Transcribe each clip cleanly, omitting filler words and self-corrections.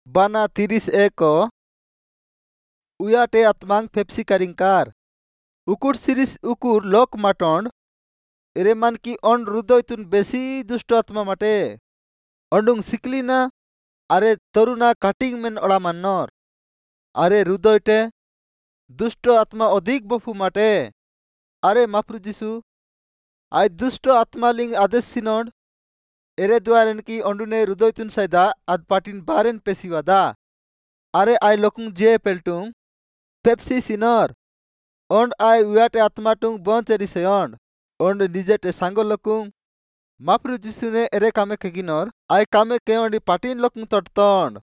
बाना 31 उयाटे आत्मांग फेप्सी कारिंकार उकुर सिरिस उकुर लोक माटोंड एरे मान की ओंड हृदयतुन बेसी दुष्ट आत्मा माटे ओंडुंग सिकलीना आरे तरुना काटिंग मेन ओड़ा मान्नर आरे हृदयटे दुष्ट आत्मा अधिक बफू माटे आरे माप्रु जिसु आय दुष्ट आत्मा लिंग आदेश सिनोंड एरे द्वारेन की ओंडुने हृदयतुन साइदा आद पाटिन बारेन पेसीवादा आरे आय लोकुंग जे पेल्टुंग पेप्सी सिनर ओंड आय उयाटे आत्माटुंग बंच एरिसेयोंड ओंड निजेटे सांगो लोकुंग माप्रु जिसुने एरे कामे केगिनर आय कामे केओंडी पाटिन लोकुंग तटतोंड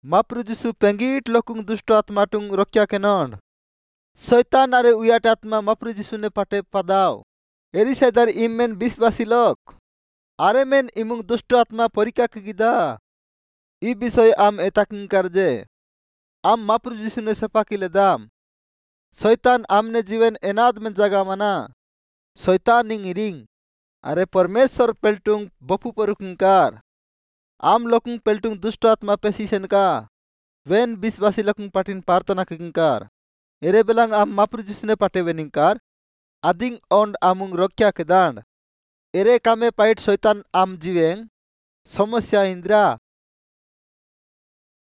माप्रु जिसु पेंगीट लोकुंग दुष्ट आत्माटुंग रक्या केनोंड शैतान आरे उयाटे आत्मा माप्रु जिसुने पाटे पादाव एरी साइदार इम मेन विश्वासी लोक आरे मेन इमुंग दुष्ट आत्मा परीक्षा केगिदा ई विषय आम एताकिंकार जे आम माप्रु जिसुने सेपाकी लेदाम शैतान आमने जीवन एनाद में जागा माना शैतानिंग इरिंग आरे परमेश्वर पेल्टुंग बफू परुकिंकार आम लोकुंग पेल्टुंग दुष्ट आत्मा पेसी सेनका when विश्वासी लोकुंग पाटिन प्रार्थना किंकार एरे बेलांग आम माप्रु जिसुने पाटे वेनिंकार आदिंग ओंड आमुंग रक्षा केदांड एरे कामे पाइट शैतान आम जीवेंग समस्या इंद्रा।